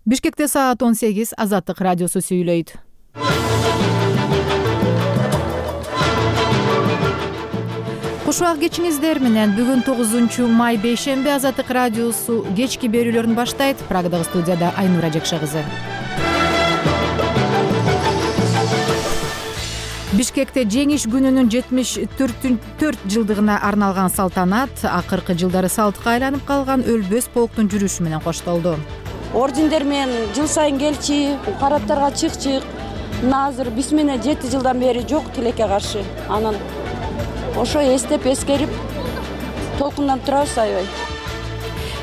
Бишкекте саат 18 Азаттык радиосу сүйлөйт. Кушубак кечиңиздер менен бүгүн 9 май бейшемби Азаттык радиосу кечки берүүлөрүн баштайт. Прагадагы студияда Айнура Жекше кызы. Бишкекте жеңиш күнүнүн 74 жылдыгына арналган салтанат акыркы жылдары салтка айланып калган Өлбөс полктун жүрүшү менен коштолду. Ордендер менен жыл сайын келчи, парадтарга чыкчык. Азыр биз менен 7 жылдан бери жок тилекке каршы. Анан ошо эстеп эскерип толкундан турабыз аябай.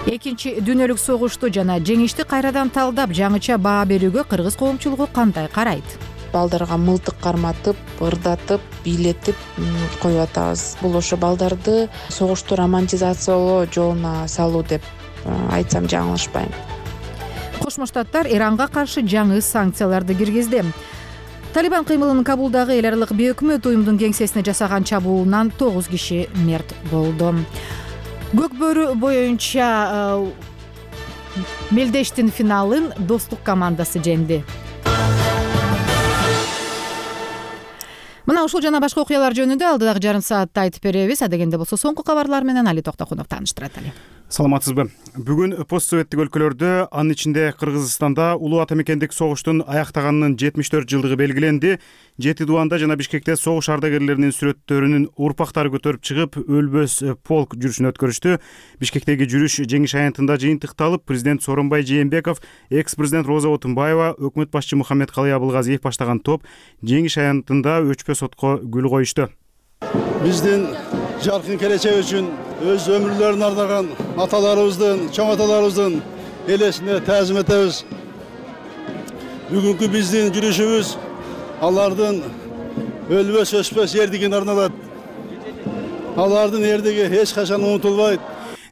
Экинчи дүйнөлүк согушту жана жеңишти кайрадан талдап, жаңыча баа берүүгө кыргыз коомчулугу кандай карайт? Балдарга мылтык карматып, ырдатып, бийлетип коюп атабыз. Бул ошо балдарды согушту романтизациялоо жолуна салуу деп айтсам жаңылышпайм. Кошмо Штаттар Иранга каршы жаңы санкцияларды киргизди. Талибан кыймылынын Кабулдагы эл аралык бейөкмөт уюмдун кеңсесине жасаган чабуулунан 9 киши мерт болду. Көк бөрү боюнча мелдештин финалын Достук командасы жеңди. Мына ушул жана башка окуялар жөнүндө алдыдагы жарым саатта айтып беребиз. Адегенде болсо соңку кабарлар менен Али Токтокунов тааныштырат. Али. Саламатсызбы? Бүгүн постсоветтик өлкөлөрдө, анын ичинде Кыргызстанда улуу ата мекендик согуштун аяктаганынын 74 жылдыгы белгиленди. Жети Дубанда жана Бишкекте согуш ардагерлеринин сүрөттөрүнүн урпактары көтөрүп чыгып, Өлбөс полк жүрүшүн өткөрүштү. Бишкектеги жүрүш жеңиш аянтында жыйынтыкталып, президент Сооронбай Жээнбеков, экс-президент Роза Отунбаева, өкмөт башчы Мухаммедкалый Абылгазиев баштаган топ жеңиш аянтында өчпөс отко гүл коюшту. Биздин жаркын келечек үчүн өз өмүрлөрүн ардаган аталарыбыздын, чоң аталарыбыздын элесине таазим этебиз. Бүгүнкү биздин жүрүшүбүз алардын өлбөс өчпөс эрдигине арналат. Алардын эрдиги эч качан унутулбайт,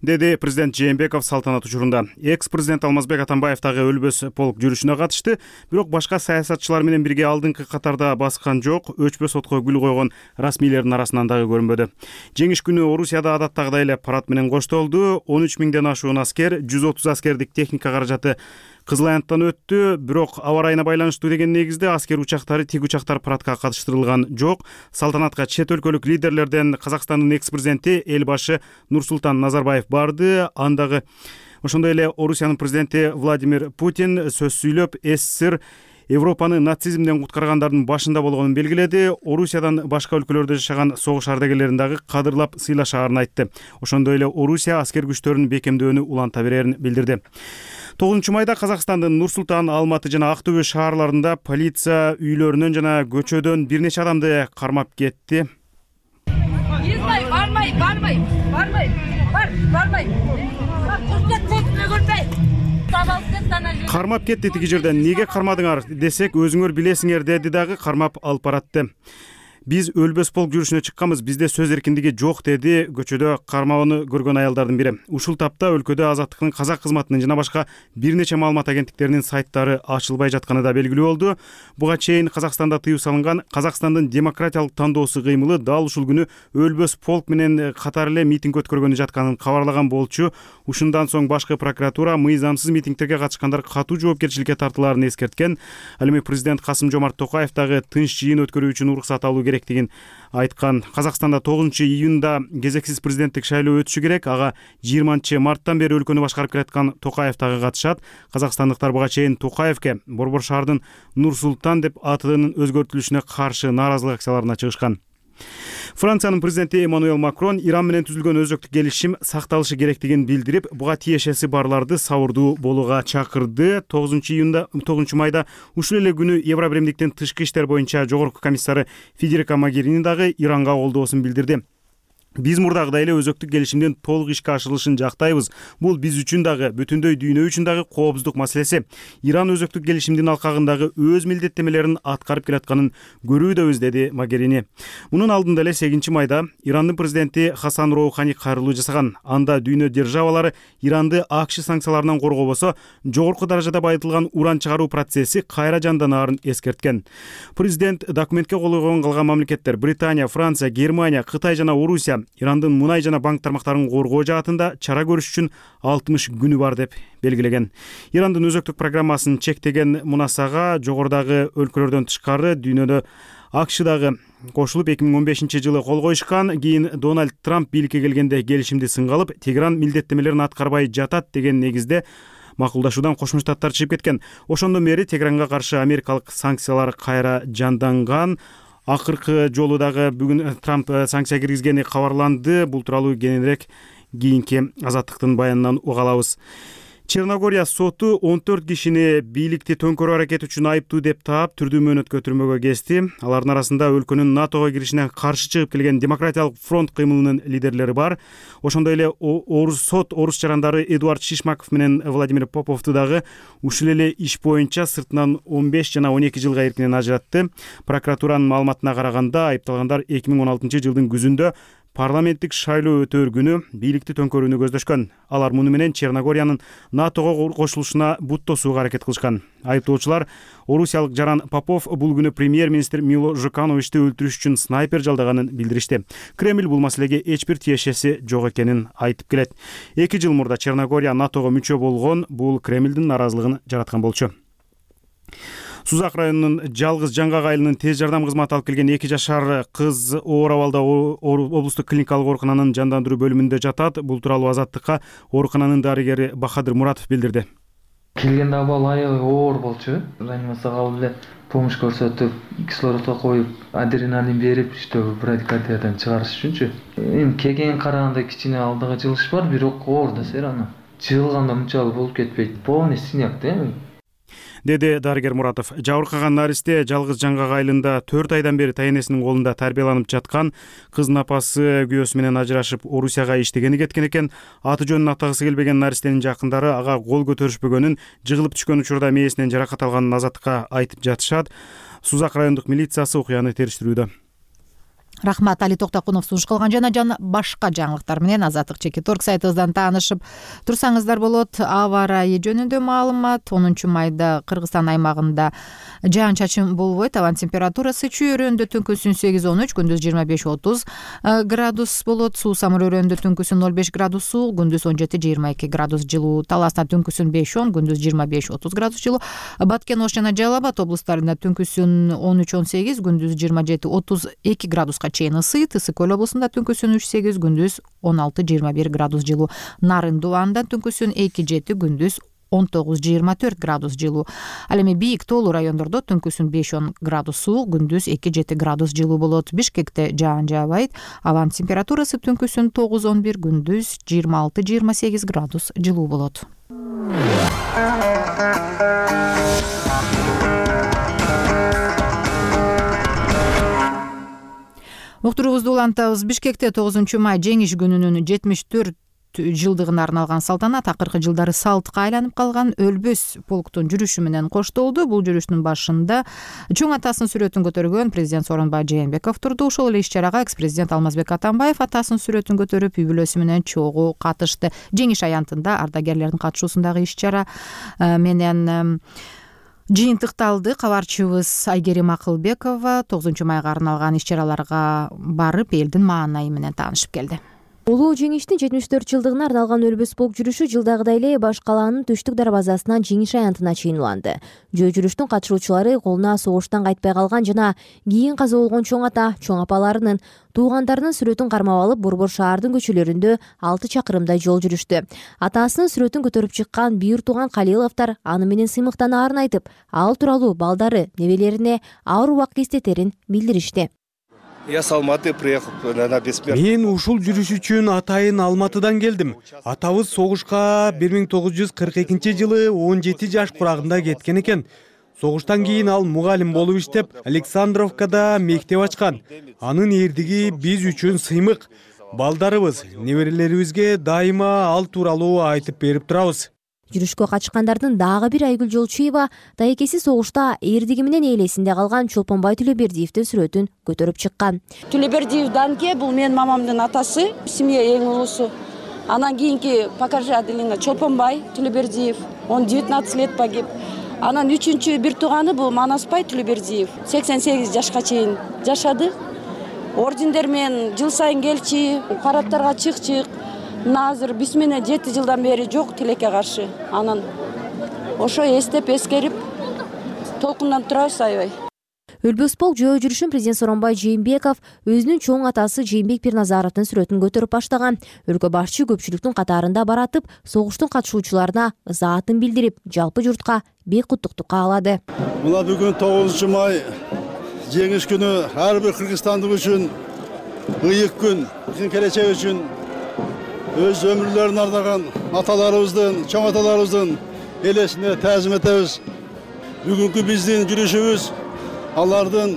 деди президент Жээнбеков салтанат учурунда. Экс-президент Алмазбек Атамбаев дагы Өлбөс полк жүрүшүнө катышты, бирок башка саясатчылар менен бирге алдыңкы катарда баскан жок, өчпөс отко гүл койгон расмийлердин арасынан дагы көрүнбөдү. Жеңиш күнү Орусияда адаттагыдай эле парад менен коштолду. 13 миңден ашуун аскер, 130 аскердик техника каражаты Кызыл аянттан өттү, бирок аба ырайына байланыштуу деген негизде аскер учактары, тик учактар парадка катыштырылган жок. Салтанатка чет өлкөлүк лидерлерден Казакстандын экс-президенти Элбашы Нурсултан Назарбаев барды. Андагы ошондой эле Орусиянын президенти Владимир Путин сөз сүйлөп, СССР Европаны нацизмден куткаргандардын башында болгонун белгиледи. Орусиядан башка өлкөлөрдө жашаган согуш ардагерлерин дагы кадырлап сыйлашаарын айтты. Ошондой эле Орусия аскер күчтөрүн бекемдөөнү уланта берерин билдирди. 9 майда Казакстандын Нур-Султан, Алматы жана Актөбө шаарларында полиция үйлөрүнөн жана көчөдөн бир нече адамды кармап кетти. Кармап кетти тиги жерден. Неге кармадыңар десек, өзүңөр билесиңер деди дагы, кармап алып баратты. Биз Өлбөс полк жүрүшүнө чыкканбыз, бизде сөз эркиндиги жок деди көчөдө кармоону көргөн аялдардын бири. Ушул тапта өлкөдө Азаттыктын казак кызматынын жана башка бир нече маалымат агенттиктеринин сайттары ачылбай жатканы да белгилүү болду. Буга чейин Казакстанда тыюу салынган Казакстандын демократиялык тандоосу кыймылы дал ушул күнү Өлбөс полк менен катар эле митинг өткөргөнү жатканын кабарлаган болчу. Ушундан соң башкы прокуратура мыйзамсыз митингтерге катышкандар катуу жоопкерчиликке тартылаарын эскерткен. Ал эми президент Касым-Жомарт Токаев дагы тынч жыйын өткөрүү үчүн уруксат алуу керектигин айткан. Казакстанда 9 июнда кезексиз президенттик шайлоо өтүшү керек. Ага 20 марттан бери өлкөнү башкарып келаткан Токаев дагы катышат. Казакстандыктар буга чейин Токаевке Борбор шаардын Нур-Султан деп атынын өзгөртүлүшүнө каршы нааразылык акцияларына чыгышкан. Франциянын президенти Эммануэл Макрон Иран менен түзүлгөн өзөктүк келишим сакталышы керектигин билдирип, буга тиешеси барларды сабырдуу болууга чакырды. 9 майда ушул эле күнү Евробиримдиктин тышкы иштер боюнча жогорку комиссары Федерика Могерини дагы Иранга колдоосун билдирди. Биз мурдагыдай эле өзөктүк келишимдин толук ишке ашырылышын жактайбыз. Бул биз үчүн дагы, бүтүндөй дүйнө үчүн дагы коопсуздук маселеси. Иран өзөктүк келишимдин алкагындагы өз милдеттемелерин аткарып келатканын көрүүдөбүз, деди Могерини. Мунун алдында эле 8 майда Ирандын президенти Хасан Роухани кайрылуу жасаган. Анда дүйнө державалары Иранды АКШ санкцияларынан коргобосо, жогорку даражада байытылган уран чыгаруу процесси кайра жанданаарын эскерткен. Президент документке кол койгон калган мамлекеттер Британия, Франция, Германия, Кытай жана Орусия Ирандын мунай жана банк тармактарын коргоо жаатында чара көрүш үчүн 60 күнү бар деп белгилеген. Ирандын өзөктүк программасын чектеген мунасага жогорудагы өлкөлөрдөн тышкары дүйнөдө АКШ дагы кошулуп 2015-жылы кол коюшкан. Кийин Дональд Трамп бийликке келгенде келишимди сынга алып, Тегеран милдеттемелерин аткарбай жатат деген негизде макулдашуудан Кошмо Штаттар чыгып кеткен. Ошондон бери Тегеранга каршы америкалык санкциялар кайра жанданган. Акыркы жолу дагы бүгүн Трамп санкция киргизгени кабарланды. Бул тууралуу кененирээк кийинки Азаттыктын баянынан уга алабыз. Черногория соту 14 кишини бийликти төңкөрүү аракети үчүн айыптуу деп таап, түрдүү мөөнөткө түрмөгө кести. Алардын арасында өлкөнүн НАТОго киришине каршы чыгып келген Демократиялык фронт кыймылынын лидерлери бар. Ошондой эле орус жарандары Эдуард Шишмаков менен Владимир Поповду дагы ушул эле иш боюнча сыртынан 15 жана 12 жылга эркинен ажыратты. Прокуратуранын маалыматына караганда, айыпталгандар 2016-жылдын күзүндө парламенттик шайлоо өтөөр күнү бийликти төңкөрүүнү көздөшкөн. Алар муну менен Черногориянын НАТОго кошулушуна бут тосууга аракет кылышкан. Айыптоочулар орусиялык жаран Попов бул күнү премьер-министр Мило Жукановичти өлтүрүш үчүн снайпер жалдаганын билдиришти. Кремль бул маселеге эч бир тиешеси жок экенин айтып келет. 2 жыл мурда Черногория НАТОго мүчө болгон, бул Кремлдин наразылыгын жараткан болчу. Сузак районунун Жалгыз Жаңгак айылынын тез жардам кызматы алып келген 2 жашар кыз оор абалда облустук клиникалык оорукананын жандандыруу бөлүмүндө жатат. Бул тууралуу Азаттыкка оорукананын дарыгери Бахадыр Муратов билдирди. Келгенде абал аябай оор болчу. Реанимацияга алып эле помощь көрсөтүп, кислородко коюп, адреналин берип, брадикардиядан чыгарыш үчүнчү. Эми келген караганда кичине алдыга жылыш бар, бирок оор да серана. Жылганда мынчалык болуп кетпейт. Полный синяк да. Деди дарыгер Муратов. Жабыркаган наристе Жалгыз Жаңгак айылында 4 айдан бери тайенесинин колунда тарбияланып жаткан. Кыздын апасы күйөөсү менен ажырашып, Орусияга иштегени кеткен экен. Аты жөнүн атагысы келбеген наристенин жакындары ага кол көтөрүшпөгөнүн, жыгылып түшкөн учурда мээсинен жаракат алганын Азаттыкка айтып жатышат. Сузак райондук милициясы окуяны териштирүүдө. Рахмат, Али Токтокунов сунуш кылган жана башка жаңылыктар менен Азаттык Чекиторг сайтыбыздан таанышып турсаңыздар болот. Аба ырайы жөнүндө маалымат. 10 майда Кыргызстан аймагында жаан-чачын болбойт. Абан температурасы чүй өрөөндө түнкүсүн 8-13, күндүз 25-30 градус болот. Суу-самыр өрөөндө түнкүсүн 0,5 градус суук, күндүз 17-22 градус жылуу. Таласта түнкүсүн 5-10, күндүз 25-30 градус жылуу. Баткен, Ош жана Жалал Абад облустарында түнкүсүн 13-18, күндүз 27-32 градуска чейин ысыйт. Ысык Көл облусунда түнкүсүн 3-8, күндүз 16-21 градус жылуу. Нарын Дубанда түнкүсүн 2-7, күндүз 19-24 градус жылуу. Ал эми бийик тоолуу райондордо түнкүсүн 5-10 градус суук, күндүз 2-7 градус жылуу болот. Бишкекте жаан жаабайт. Абанын температурасы түнкүсүн 9-11, күндүз 26-28 градус жылуу болот. Уктуруубузду улантабыз. Бишкекте 9 май жеңиш күнүнүн 74 жылдыгына арналган салтанат акыркы жылдары салтка айланып калган Өлбөс полктун жүрүшү менен коштолду. Бул жүрүштүн башында чоң атасынын сүрөтүн көтөргөн президент Сооронбай Жээнбеков турду. Ошол эле иш-чарага экс-президент Алмазбек Атамбаев атасынын сүрөтүн көтөрүп, үй бүлөсү менен чогуу катышты. Жеңиш аянтында ардагерлердин катышуусундагы иш-чара менен жыйынтыкталды. Кабарчыбыз Айгерим Акылбекова 9 майга арналган иш-чараларга барып, элдин маанайы менен таанышып келди. Улуу жеңиштин 74 жылдыгына арналган Өлбөс полк жүрүшү жылдагыдай эле баш калаанын түштүк дарбазасынан жеңиш аянтына чейин уланды. Жөө жүрүштүн катышуучулары колуна согуштан кайтпай калган жана кийин каза болгон чоң ата, чоң апаларынын, туугандарынын сүрөтүн кармап алып, Борбор шаардын көчөлөрүндө 6 чакырымдай жол жүрүштү. Атасынын сүрөтүн көтөрүп чыккан бийир тууган Калиловдор аны менен сыймыктанаарын айтып, ал тууралуу балдары, небелерине ауыр убакыт эстетерин билдиришти. Я с Алматы приехал на бессмертный. Мен ушул жүрүш үчүн атайын Алматыдан келдим. Атабыз согушка 1942-жылы 17 жаш курагында кеткен экен. Согуштан кийин ал мугалим болуп иштеп, Александровкада мектеп ачкан. Анын эрдиги биз үчүн сыймык. Балдарыбыз, неберелерибизге дайыма ал тууралуу айтып берип турабыз. Жүрүшкө катышкандардын дагы бир Айгүл Жолчуева тайекеси согушта эрдиги менен ээлесинде калган Чолпонбай Түлөбердиевдин сүрөтүн көтөрүп чыккан. Түлөбердиев Данке бул менин мамамдын атасы, семья эң улуусу. Анан кийинки покажи Аделина Чолпонбай Түлөбердиев, он 19 лет погиб. Анан үчүнчү бир тууганы бул Манаспай Түлөбердиев, 88 жашка чейин жашады. ордендер менен жыл сайын келчи, парадтарга чыкчык. Мына азыр биз менен 7 жылдан бери жок тилекке каршы. Анан ошо эстеп эскерип толкундан турабыз аябай. Өлбөс полк жөө жүрүшүн президент Сооронбай Жээнбеков өзүнүн чоң атасы Жээнбек Пирназаровдун сүрөтүн көтөрүп баштаган. Өлкө башчы көпчүлүктүн катарында баратып, согуштун катышуучуларына ызаатын билдирип, жалпы журтка бек куттуктук каалады. Мына бүгүн 9 май жеңиш күнү ар бир кыргызстандык үчүн ыйык күн, келечек үчүн өз өмүрлөрүн ардаган аталарыбыздын, чоң аталарыбыздын элесине таазим этебиз. Бүгүнкү биздин жүрүшүбүз алардын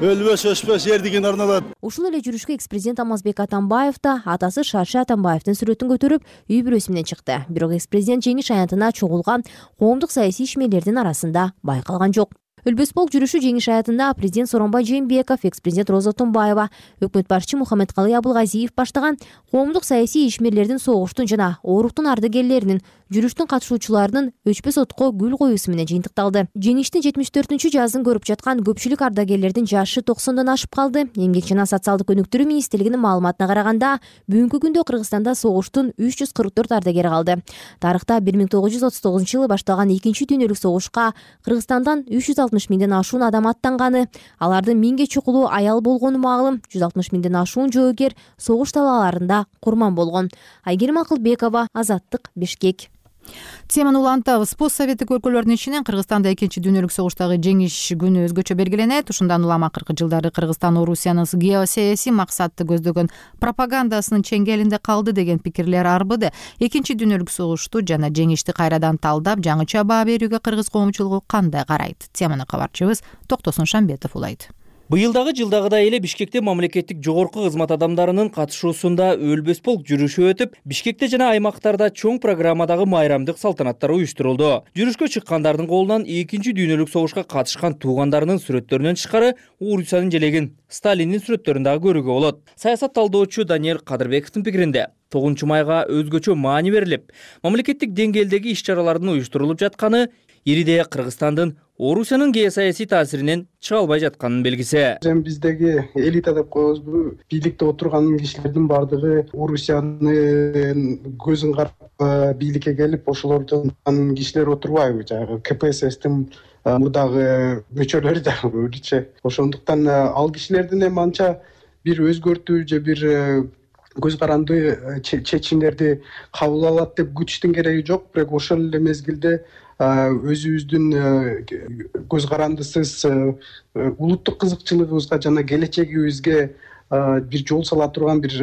өлбөс өчпөс эрдигине арналат. Ушул эле жүрүшкө экс-президент Алмазбек Атамбаев да атасы Шаршы Атамбаевдин сүрөтүн көтөрүп, үй бүлөсү менен чыкты. Бирок экс-президент жеңиш аянтына чогулган коомдук саясий ишмерлердин арасында байкалган жок. Өлбөс полк жүрүшү жеңиш аятында президент Сооронбай Жээнбеков, экс-президент Роза Тумбаева, өкмөт башчы Мухаммедкалый Абылгазиев баштаган коомдук саясий ишмерлердин, согуштун жана ооруктун ардагерлеринин, жүрүштүн катышуучуларынын өчпөс отко гүл коюусу менен жыйынтыкталды. Жеңиштин 74-чү жазын көрүп жаткан көпчүлүк ардагерлердин жашы 90дан ашып калды. Эмгек жана социалдык өнүктүрүү министрлигинин маалыматына караганда, бүгүнкү күндө Кыргызстанда согуштун 344 ардагери калды. Тарыхта 1939-жылы башталган 2-чи дүйнөлүк согушка Кыргызстандан 360 миңден ашуун адам аттанганы, алардын 1000ге чукулу аял болгону маалым, 160 миңден ашуун жоогер согуш талааларында курман болгон. Айгерим Акылбекова, Азаттык, Бишкек. Теманы улантабыз. Постсоветтик өлкөлөрдүн ичинен Кыргызстанда 2-чи дүйнөлүк согуштагы жеңиш күнү өзгөчө белгиленет. Ушундан улам акыркы жылдары Кыргызстан Орусиянын геосаясий максатты көздөгөн пропагандасынын чеңгелинде калды деген пикирлер арбыды. 2-чи дүйнөлүк согушту жана жеңишти кайрадан талдап, жаңыча баа берүүгө кыргыз коомчулугу кандай карайт? Теманы кабарчыбыз Токтосун Шамбетов улайт. Быйылдагы жылдагыдай эле Бишкекте мамлекеттик жогорку кызмат адамдарынын катышуусунда өлбөс полк жүрүшү өтүп, Бишкекте жана аймактарда чоң программадагы майрамдык салтанаттар уюштурулду. Жүрүшкө чыккандардын колунан 2-чи дүйнөлүк согушка катышкан туугандарынын сүрөттөрүнөн тышкары Урусиянын желегин, Сталиндин сүрөттөрүн дагы көрүүгө болот. Саясат талдоочу Даниэль Кадырбековдун пикиринде 9 майга өзгөчө маани берилип, мамлекеттик деңгээлдеги иш-чаралардын уюштурулуп жатканы ириде Кыргызстандын Орусиянын геосаясий таасиринен чыга албай жатканын белгиси. Биздеги элита деп коебузбу, бийликте отурган кишилердин бардыгы Орусиянын көзүн карап бийликке келип, ошолордон кишилер отурбайбы, жанагы КПССтин мурдагы мөчөлөрү да өзүчө. Ошондуктан ал кишилердин эми анча бир өзгөртүү же бир көз каранды чечимдерди кабыл алат деп күтүштүн кереги жок. Бирок ошол эле мезгилде өзүбүздүн көз карандысыз улуттук кызыкчылыгыбызга жана келечегибизге бир жол сала турган бир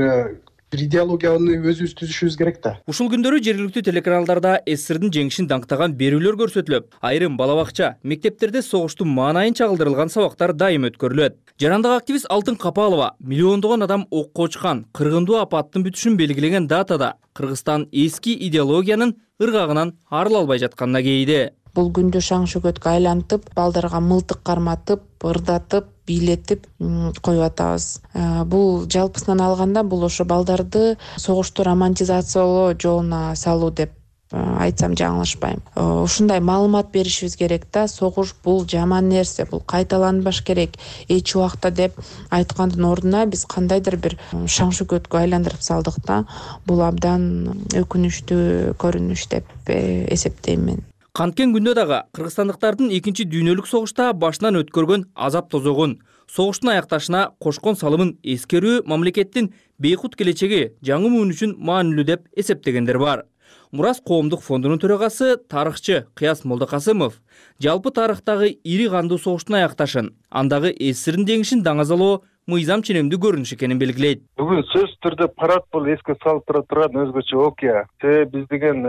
идеологияны өзүбүз түзүшүбүз керек да. Ушул күндөрү жергиликтүү телеканалдарда СССРдин жеңишин даңктаган берүүлөр көрсөтүлөп, айрым бала бакча, мектептерде согуштун маанайын чагылдырылган сабактар дайым өткөрүлөт. Жарандык активист Алтын Капалова миллиондогон адам окко учкан, кыргындуу апаттын бүтүшүн белгилеген датада Кыргызстан эски идеологиянын ыргагынан арыла албай жатканына кейиди. Бул күндү шаң шөкөткө айлантып, балдарга мылтык карматып, ырдатып, бийлетип коюп атабыз. Бул жалпысынан алганда бул ошо балдарды согушту романтизациялоо жолуна салуу деп айтсам жаңылышпайм. Ушундай маалымат беришибиз керек да, согуш бул жаман нерсе, бул кайталанбаш керек эч убакта деп айткандын ордуна биз кандайдыр бир шаң шөкөткө айландырып салдык да. Бул абдан өкүнүчтүү көрүнүш деп эсептейм мен. Канткен күндө дагы кыргызстандыктардын 2-чи дүйнөлүк согушта башынан өткөргөн азап тозогун, согуштун аякташына кошкон салымын эскерүү мамлекеттин бейкут келечеги жаңы муун үчүн маанилүү деп эсептегендер бар. Мурас коомдук фондунун төрагасы, тарыхчы Кыяс Молдокасымов жалпы тарыхтагы ири кандуу согуштун аякташын, андагы СССРдин жеңишин даңазалоо мыйзам ченемдүү көрүнүш экенин белгилейт. Бүгүн сөзсүз түрдө парад бул эске салып тура турган өзгөчө окуя. Биз деген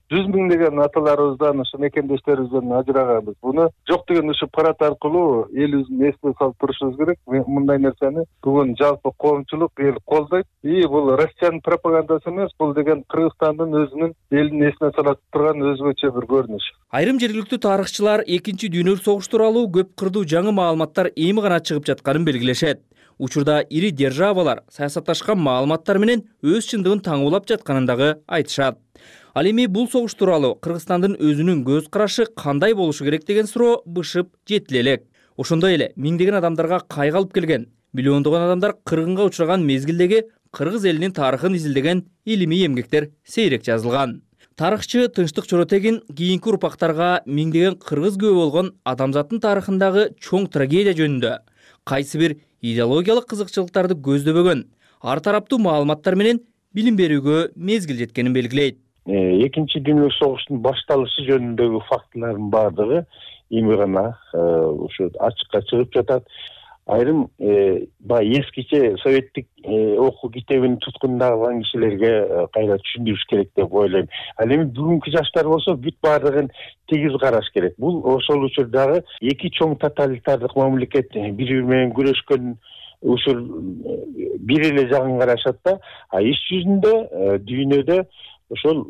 100 миңдеген аталарыбыздан, ушу мекендештерибизден ажыраганбыз. Буну жок деген ушу парад аркылуу элибиздин эске салып турушубуз керек. Мындай нерсени бүгүн жалпы коомчулук эл колдойт. Бул Россиянын пропагандасы эмес, бул деген Кыргызстандын өзүнүн элин эсине салат турган өзгөчө бир көрүнүш. Айрым жергиликтүү тарыхчылар 2-чи дүйнөлүк согуш тууралуу көп кырдуу жаңы маалыматтар эми гана чыгып жатканын белгилешет. Учурда ири державалар саясатташкан маалыматтар менен өз чындыгын таңуулап жатканын дагы айтышат. Ал эми бул согуш тууралуу Кыргызстандын өзүнүн көз карашы кандай болушу керек деген суроо бышып жетиле элек. Ошондой эле миңдеген адамдарга кайга алып келген, миллиондогон адамдар кыргынга учураган мезгилдеги кыргыз элинин тарыхын изилдеген илимий эмгектер сейрек жазылган. Тарыхчы Тынчтык Чоротегин кийинки урпактарга миңдеген кыргыз күбө болгон адамзаттын тарыхындагы чоң трагедия жөнүндө кайсы бир идеологиялык кызыкчылыктарды көздөбөгөн ар тараптуу маалыматтар менен билим берүүгө мезгил жеткенин белгилейт. Экинчи дүйнөлүк согуштун башталышы жөнүндөгү фактылардын баардыгы эми гана ушу ачыкка чыгып жатат. Айрым баягы эскиче советтик окуу китебин туткундаган кишилерге кайра түшүндүрүш керек деп ойлойм. Ал эми бүгүнкү жаштар болсо бүт баардыгын тегиз караш керек. Бул ошол учурдагы эки чоң тоталитардык мамлекет бири менен күрөшкөн учур бир эле жагын карашат да. А иш жүзүндө дүйнөдө ошол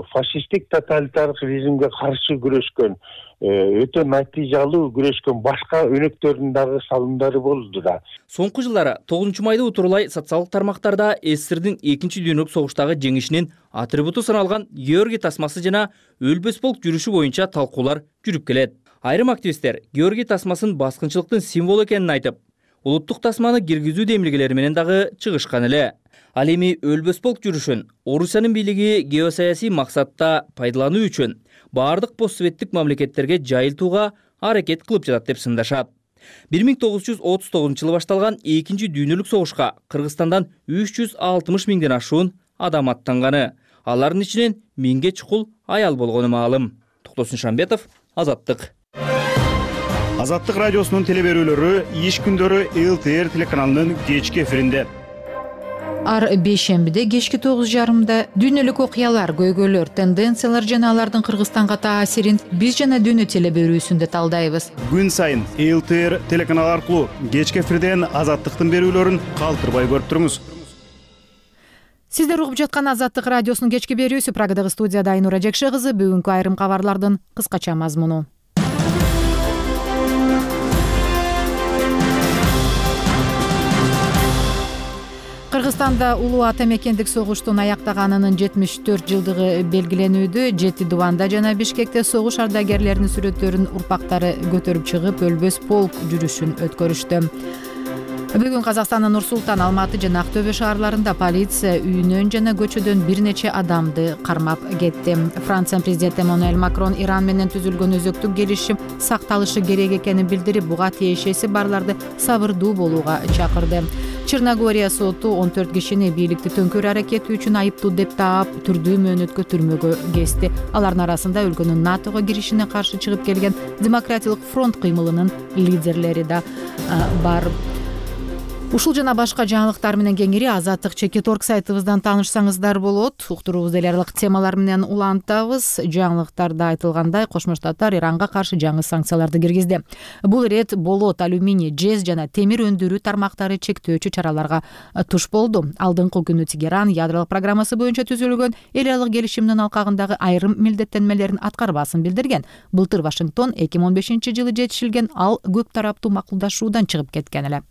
фашисттик тоталитардык режимге каршы күрөшкөн өтө натыйжалуу күрөшкөн башка өнөктөрдүн дагы салымдары болду да. Соңку жылдары 9 майды утурлай социалдык тармактарда СССРдин экинчи дүйнөлүк согуштагы жеңишинин атрибуту саналган Георгий тасмасы жана өлбөс полк жүрүшү боюнча талкуулар жүрүп келет. Айрым активисттер Георгий тасмасын баскынчылыктын символу экенин айтып, улуттук тасманы киргизүү демилгелери менен дагы чыгышкан эле. Ал эми өлбөс полк жүрүшүн Орусиянын бийлиги геосаясий максатта пайдалануу үчүн баардык постсоветтик мамлекеттерге жайылтууга аракет кылып жатат деп сындашат. 1939-жылы башталган экинчи дүйнөлүк согушка Кыргызстандан 360 миңден ашуун адам аттанганы, алардын ичинен 1000ге чукул аял болгону маалым. Токтосун Шамбетов, Азаттык. Азаттык радиосунун телеберүүлөрү иш күндөрү ЛТР телеканалынын кечки эфиринде. Ар бейшембиде кечки 9:30 дүйнөлүк окуялар, көйгөйлөр, тенденциялар жана алардын Кыргызстанга таасирин биз жана дүйнө телеберүүсүндө талдайбыз. Күн сайын ЛТР телеканалы аркылуу кечки эфирден Азаттыктын берүүлөрүн калтырбай көрүп туруңуз. Сиздер угуп жаткан Азаттык радиосунун кечки берүүсү. Прагадагы студияда Айнура Жекше кызы. Бүгүнкү айрым кабарлардын кыскача мазмуну. Кыргызстанда улуу ата мекендик согуштун аяктаганынын 74 жылдыгы белгиленүүдө. Жети Дубанда жана Бишкекте согуш ардагерлеринин сүрөттөрүн урпактары көтөрүп чыгып, өлбөс полк жүрүшүн өткөрүштү. Бүгүн Казакстандын Нур-Султан, Алматы жана Актөбө шаарларында полиция үйүнөн жана көчөдөн бир нече адамды кармап кетти. Франциянын президенти Эммануэль Макрон Иран менен түзүлгөн өзөктүк келишим сакталышы керек экенин билдирип, буга тиешеси барларды сабырдуу болууга чакырды. Черногория соту 14 кишини бийликти төңкөрүү аракети үчүн айыптуу деп таап, түрдүү мөөнөткө түрмөгө кести. Алардын арасында өлкөнүн НАТОго киришине каршы чыгып келген Демократиялык фронт кыймылынын лидерлери да бар. Ушул жана башка жаңылыктар менен кеңири Азаттык.org сайтыбыздан таанышсаңыздар болот. Уктуруубузду эл аралык темалар менен улантабыз. Жаңылыктарда айтылгандай, Кошмо Штаттар Иранга каршы жаңы санкцияларды киргизди. Бул ирет болот, алюминий, жез жана темир өндүрүү тармактары чектөөчү чараларга туш болду. Алдыңкы күнү Тегеран ядролук программасы боюнча түзүлгөн эл аралык келишимдин алкагындагы айрым милдеттенмелерин аткарбасын билдирген. Былтыр Вашингтон 2015-жылы жетишилген ал көп тараптуу макулдашуудан чыгып кеткен эле.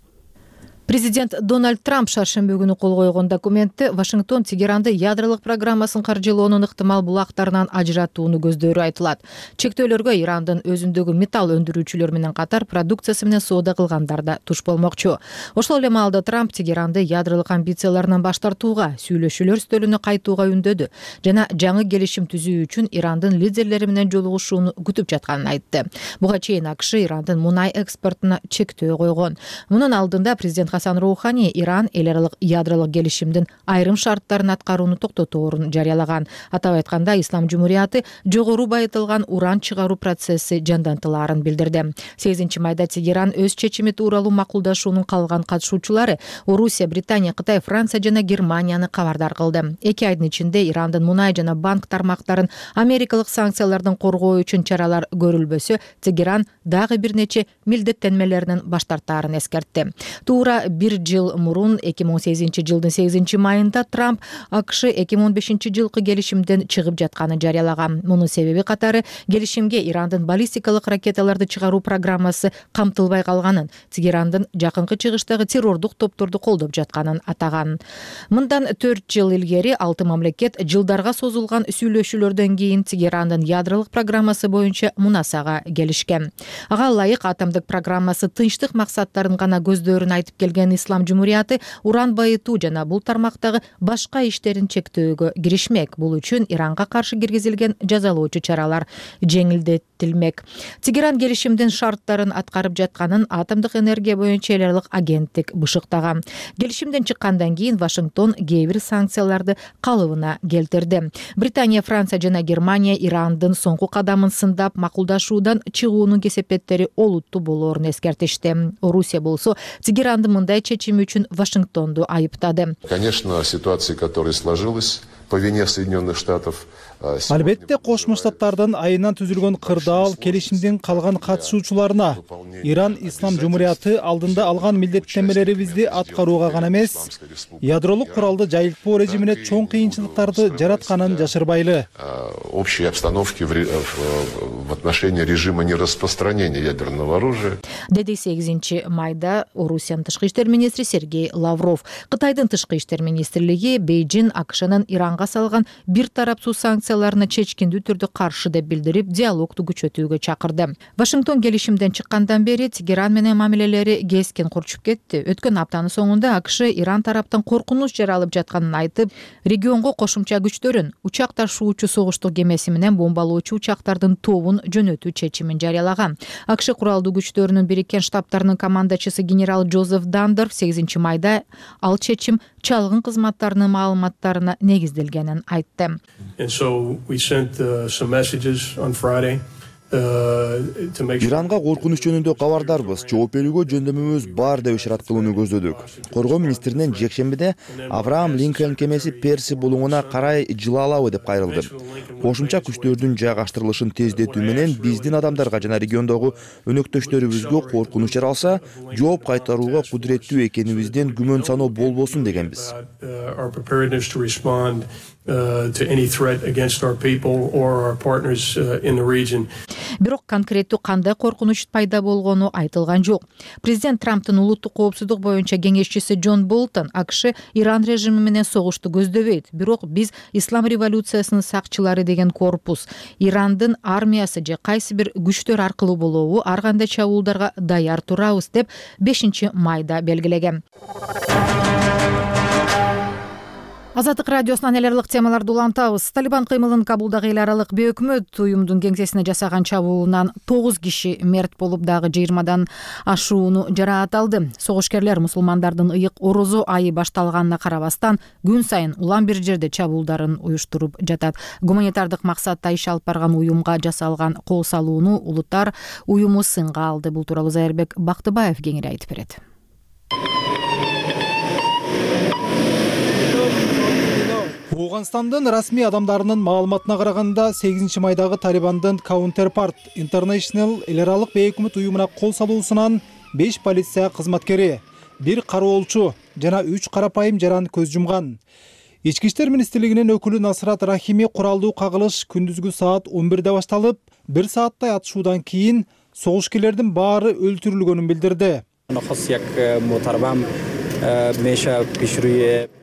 Президент Дональд Трамп шаршемби күнү кол койгон документте Вашингтон Тегеранды ядролук программасын каржылоонун ыктымал булактарынан ажыратууну көздөрү айтылат. Чектөөлөргө Ирандын өзүндөгү металл өндүрүүчүлөр менен катар продукциясы менен соода кылгандар да туш болмокчу. Ошол эле маалда Трамп Тегеранды ядролук амбицияларынан баш тартууга, сүйлөшүүлөр стөлүнө кайтууга үндөдү жана жаңы келишим түзүү үчүн Ирандын лидерлери менен жолугушууну күтүп жатканын айтты. Буга чейин АКШ Ирандын мунай экспортуна чектөө койгон. Мунун алдында президент Хасан Роухани Иран эл аралык ядролук келишимдин айрым шарттарын аткарууну токтоторун жарыялаган. Атап айтканда, Ислам Жумурияты жогору байытылган уран чыгаруу процесси жандантылаарын билдирди. 8-майда Тегеран өз чечими тууралуу макулдашуунун калган катышуучулары Орусия, Британия, Кытай, Франция жана Германияны кабардар кылды. 2 айдын ичинде Ирандын мунай жана банк тармактарын америкалык санкциялардан коргоо үчүн чаралар көрүлбөсө, Тегеран дагы бир нече милдеттенмелеринен баш тартаарын эскертти. Туура 1 жыл мурун 2018-жылдын 8-майында Трамп АКШ 2015-жылкы келишимден чыгып жатканын жарыялаган. Мунун себеби катары келишимге Ирандын баллистикалык ракеталарды чыгаруу программасы камтылбай калганын, Тегерандын жакынкы чыгыштагы террордук топторду колдоп жатканын атаган. Мындан 4 жыл илгери 6 мамлекет жылдарга созулган сүйлөшүүлөрдөн кийин Тегерандын ядролук программасы боюнча мунасага келишкен. Ага ылайык атомдук программасы тынчтык максаттарын гана көздөрүн айтып келген келген Ислам Жумурияты уран байытуу жана бул тармактагы башка иштерин чектөөгө киришмек. Бул үчүн Иранга каршы киргизилген жазалоочу чаралар жеңилдетилмек. Тегеран келишимдин шарттарын аткарып жатканын атомдук энергия боюнча эл аралык агенттик бышыктаган. Келишимден чыккандан кийин Вашингтон кээ бир санкцияларды калыбына келтирди. Британия, Франция жана Германия Ирандын соңку кадамын сындап, макулдашуудан чыгуунун кесепеттери олуттуу болоорун эскертишти. Орусия болсо Тегерандын мындай чечими үчүн Вашингтонду айыптады. Конечно, ситуация, которая сложилась по вине Соединенных Штатов. Албетте Кошмо Штаттардын айынан түзүлгөн кырдаал келишимдин калган катышуучуларына Иран Ислам Жумурияты алдында алган милдеттенмелерибизди аткарууга гана эмес, ядролук куралды жайылтпоо режимине чоң кыйынчылыктарды жаратканын жашырбайлы. Общей обстановки в отношении режима нераспространения ядерного оружия. Деди 8 майда Орусиянын тышкы иштер министри Сергей Лавров. Кытайдын тышкы иштер министрлиги Бейжин АКШнын Иранга салган бир тарапсыз санкцияларына чечкиндүү түрдө каршы деп билдирип, диалогду күчөтүүгө чакырды. Вашингтон келишимден чыккандан бери Тегеран менен мамилелери кескен курчуп кетти. Өткөн аптанын соңунда АКШ Иран тараптан коркунуч жаралып жатканын айтып, регионго кошумча күчтөрүн, учак ташуучу согуштук кемеси менен бомбалоочу учактардын тобун жөнөтүү чечимин жарыялаган. АКШ куралдуу күчтөрүнүн Бириккен Штаттарынын командачысы генерал Джозеф Дандер 8 майда ал чечим чалгын кызматтарынын маалыматтарына негизделгенин айтты. Иранга коркунуч жөнүндө кабардарбыз. Жооп берүүгө жөндөмүбүз бар деп ишарат кылууну көздөдүк. Коргоо министринен жекшембиде Авраам Линкольн кемеси Перси булуңуна карай жыла алабы деп кайрылды. Кошумча күчтөрдүн жайгаштырылышын тездетүү менен биздин адамдарга жана региондогу өнөктөштөрүбүзгө коркунуч жаралса, жооп кайтарууга кудуреттүү экенибизден күмөн саноо болбосун дегенбиз. To any threat against our people or our partners in the region. Бирок конкреттүү кандай коркунуч пайда болгону айтылган жок. Президент Трамптын улуттук коопсуздук боюнча кеңешчиси Джон Болтон АКШ Иран режими менен согушту көздөбөйт. Бирок биз Ислам революциясынын сакчылары деген корпус, Ирандын армиясы же кайсы бир күчтөр аркылуу болобу ар кандай чабуулдарга даяр турабыз деп 5 майда белгилеген. Азаттык радиосунан эл аралык темаларды улантабыз. Талибан кыймылын Кабулдагы эл аралык бейөкмөт уюмдун кеңсесине жасаган чабуулунан 9 киши мерт болуп, дагы 20 ашууну жараат алды. Согушкерлер мусулмандардын ыйык орозо айы башталганына карабастан күн сайын улам бир жерде чабуулдарын уюштуруп жатат. Гуманитардык максатта иш алып барган уюмга жасалган кол салууну улуттар уюму сынга алды. Бул тууралуу Зайырбек Бактыбаев кеңири айтып берет. Ауганстандын расмий адамдарынын маалыматына караганда 8 майдагы Талибандын Counterpart International эл аралык бейөкмөт уюмуна кол салуусунан 5 полиция кызматкери, 1 кароолчу жана 3 карапайым жаран көз жумган. Ички иштер министрлигинин өкүлү Насрат Рахими куралдуу кагылыш күндүзгү саат 11де башталып, 1 сааттай атышуудан кийин согушкерлердин баары өлтүрүлгөнүн билдирди.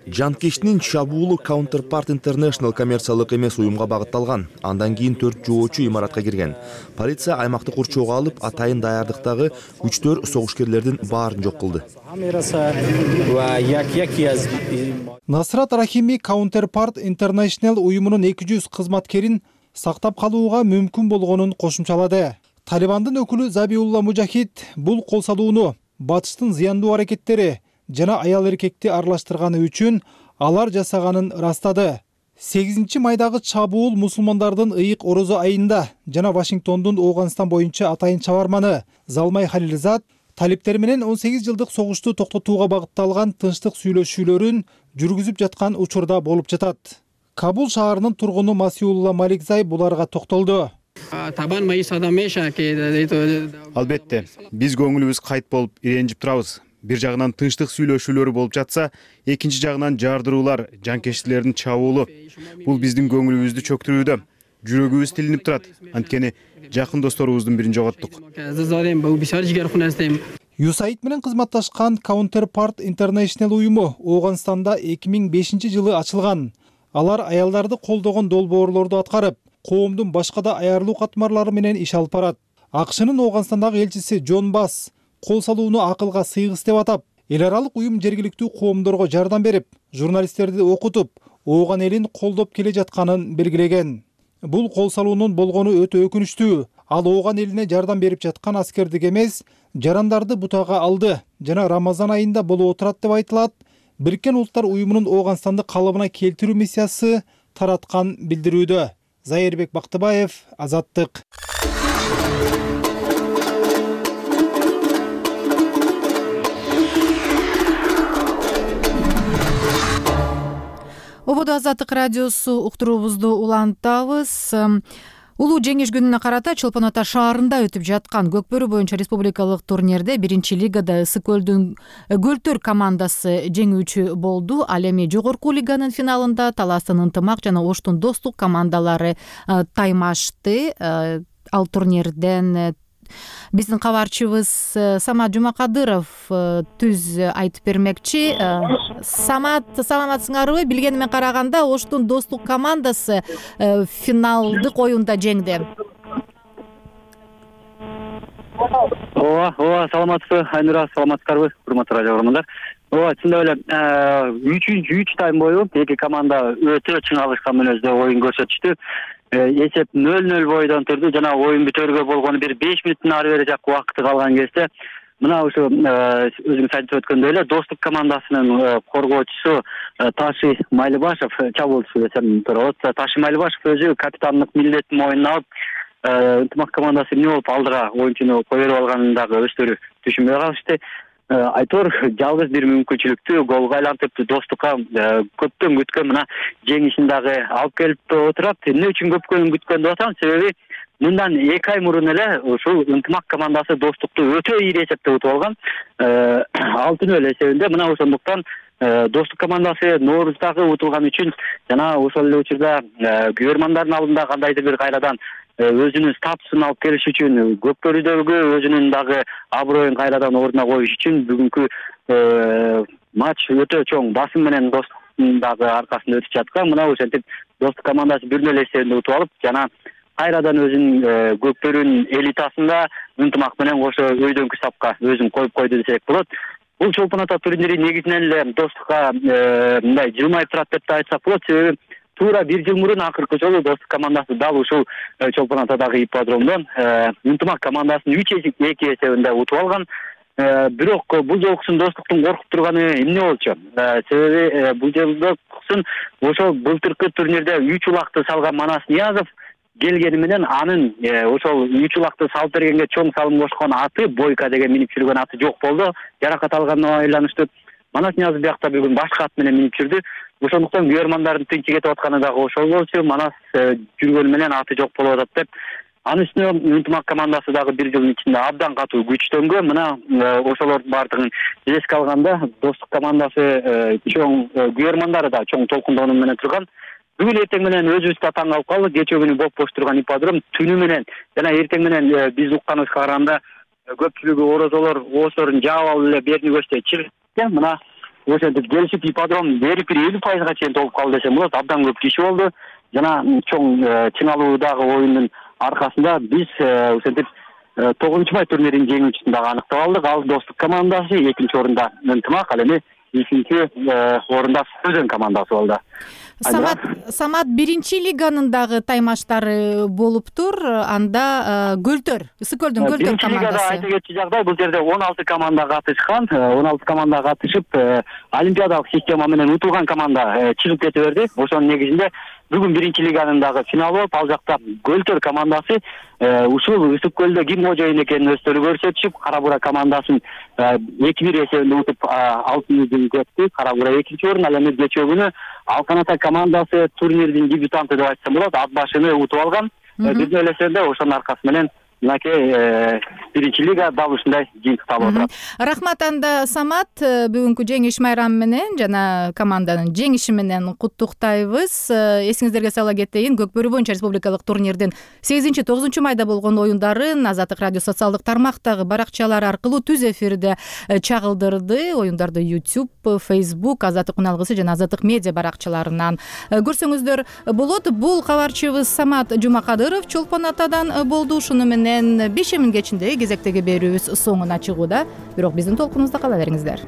Жанкештин чабуулу Counterpart International коммерциялык эмес уюмга багытталган. Андан кийин 4 жоочу имаратка кирген. Полиция аймакты курчоого алып, атайын даярдыктагы күчтөр согушкерлердин баарын жок кылды. Насрат Рахими Counterpart International уюмунун 200 кызматкерин сактап калууга мүмкүн болгонун кошумчалады. Талибандын өкүлү Забиулла Мужахид бул кол салууну батыштын зыяндуу аракеттери жана аял эркекти аралаштырганы үчүн алар жасаганын ырастады. 8 майдагы чабуул мусулмандардын ыйык орозо айында жана Вашингтондун Ауганстан боюнча атайын чабарманы Залмай Халилзад талиптер менен 18 жылдык согушту токтотууга багытталган тынчтык сүйлөшүүлөрүн жүргүзүп жаткан учурда болуп жатат. Кабул шаарынын тургуну Масиулла Маликзай буларга токтолду. Албетте, биз көңүлүбүз кайт болуп иренжип турабыз. Бир жагынан тынчтык сүйлөшүүлөрү болуп жатса, экинчи жагынан жардыруулар, жанкештилердин чабуулу. Бул биздин көңүлүбүздү чөктүрүүдө. Жүрөгүбүз тилинип турат. Анткени жакын досторубуздун бирин жоготтук. USAID менен кызматташкан Counterpart International уюму Ауганстанда 2005 жылы ачылган. Алар аялдарды колдогон долбоорлорду аткарып, коомдун башка да аярлуу катмарлары менен иш алып барат. АКШнын Ауганстандагы элчиси Джон Басс кол салууну акылга сыйгыс деп атап, Эл аралык уюм жергиликтүү коомдорго жардам берип, журналисттерди окутуп, ооган элин колдоп келе жатканын белгилеген. Бул кол салуунун болгону өтө өкүнүчтүү. Ал ооган элине жардам берип жаткан аскердик эмес, жарандарды бутага алды жана Рамазан айында болуп отурат деп айтылат. Бириккен Улуттар уюмунун Ооганстанды калыбына келтирүү миссиясы тараткан билдирүүдө. Зайырбек Бактыбаев, Азаттык. Ободо Азаттык радиосу уктуруубузду улантабыз. Улуу жеңиш күнүнө карата Чолпон Ата шаарында өтүп жаткан Көкбөрү боюнча республикалык турнирде 1-лигада Ысык көлдүн Көлтөр командасы жеңүүчү болду. Ал эми жогорку лиганын финалында Таластын Ынтымак жана Оштун Достук командалары таймашты. Ал турнирден биздин кабарчыбыз Самат Жумакадыров түз айтып бермекчи. Самат, саламатсыңарбы? Билгениме караганда Оштун Достук командасы финалдык оюнда жеңди. Ооба, саламатсызбы Айнура, саламатсыздарбы урматтуу радио көрөрмандар. Ооба, чындап эле 3 тайм бою эки команда өтө чың алышкан мүнөздө оюн көрсөтүштү. Эсеп 0-0 бойдон турду жана оюн бүтөргө болгону бир 5 мүнөттүн ары бери жак убакыты калган кезде мына ушу өзүңүз айтып өткөндөй эле Достук командасынын коргоочусу Ташы Майлыбашев, чабуулчусу десем туура болот. Ташы Майлыбашев өзү капитандык милдетин мойнуна алып, Ынтымак командасы эмне болуп алдыга оюнчуну кое берип алганын дагы өздөрү түшүнбөй калышты. Айтор жалгыз бир мүмкүнчүлүктү голго айлантып Достукка көптөн күткөн мына жеңишин дагы алып келип отурат. Эмне үчүн көптөн күткөн деп атам? Себеби мындан 2 ай мурун эле ушул Ынтымак командасы Достукту өтө ийри эсепте утуп алган. 6-0 эсебинде. Мына ошондуктан Достук командасы Нооруздагы утулган үчүн жана ошол эле учурда күйөрмандардын алдында кандайдыр бир кайрадан өзүнүн статусун алып келиш үчүн, Көкбөрүдөгү өзүнүн дагы аброюн кайрадан ордуна коюш үчүн бүгүнкү матч өтө чоң басым менен Достуктун дагы аркасында өтүп жаткан. Мына ошентип Достук командасы 1-0 эсебинде утуп алып, жана кайрадан өзүнүн Көкбөрүнүн элитасында Ынтымак менен кошо өйдөнкү сапка өзүн коюп койду десек болот. Бул Чолпон Ата турнири негизинен эле Достукка мындай жылмайып турат деп да айтсак болот. Себеби туура 1 жыл мурун акыркы жолу Достук командасы дал ушул Чолпон Атадагы ипподромдон Ынтымак командасын 3-2 эсебинде утуп алган. Бирок бул жолкусун Достуктун коркуп турганы эмне болчу? Себеби бул жолкусун ошол былтыркы турнирде 3 улакты салган Манас Ниязов келгени менен анын ошол 3 улакты салып бергенге чоң салым кошкон аты, Бойка деген минип жүргөн аты жок болду. Жаракат алганына байланыштуу. Манас Ниязов биякта бүгүн башка ат менен минип жүрдү. Ошондуктан күйөрмандардын тынчы кетип атканы дагы ошол болчу. Манас жүргөнү менен аты жок болуп атат деп. Анын үстүнө Ынтымак командасы дагы 1 жылдын ичинде абдан катуу күчтөнгөн. Мына ошолордун баардыгын эске алганда Достук командасы чоң күйөрмандары да чоң толкундоонуу менен турган. Бүгүн эртең менен өзүбүздө таң калып калдык. Кечээ күнү бош турган ипподром түнү менен жана эртең менен биз укканыбызга караганда көпчүлүгү орозолор ооздорун жаап алып эле берни көчтө чыгып, мына ошентип келишип ипподром берип 50%га чейин толуп калды десем болот. Абдан көп киши болду. Жана чоң чыңалуудагы оюндун аркасында биз ошентип 9-май турниринин жеңүүчүсүн дагы аныктап алдык. Ал Достук командасы, 2-нчи орунда Ынтымак, ал эми 3-нчи орунда Сөзөн командасы болду. Самат 1-лиганын дагы таймаштары болуптур. Анда Көлтөр, Ысык көлдүн Көлтөр командасы. 1-лигада айта кетчү жагдай, бул жерде 16 команда катышкан. 16 команда катышып, олимпиадалык система менен утулган команда чыгып кете берди. Ошонун негизинде бүгүн 1-лиганын дагы финалы болуп, ал жакта Көлтөр командасы ушул Ысык көлдө ким кожоюн экенин өздөрү көрсөтүшүп, Кара Бура командасын 2-1 эсебинде утуп алтын жетти. Кара Бура 2-нчи орун, ал эми кечээ күнү Алкан Ата командасы турнирдин дебютанты деп айтсам болот, ат башыны утуп алган. 1-0 эсебинде ошонун аркасы менен мынакей 1-лига дал ушундай жыйынтыкта алып отурат. Рахмат анда Самат, бүгүнкү жеңиш майрамы менен жана команданын жеңиши менен куттуктайбыз. Эсиңиздерге сала кетейин, Көкбөрү боюнча республикалык турнирдин 8-9 майда болгон оюндарын Азаттык радио социалдык тармактагы баракчалары аркылуу түз эфирде чагылдырды. Оюндарды YouTube, Facebook, Азаттык уналгысы жана Азаттык медиа баракчаларынан көрсөңүздөр болот. Бул кабарчыбыз Самат Жумакадыров Чолпон Атадан болду. Ушуну менен менен 5 кечиндеги кезектеги берүүбүз соңуна чыгууда. Бирок биздин толкунубузда кала бериңиздер.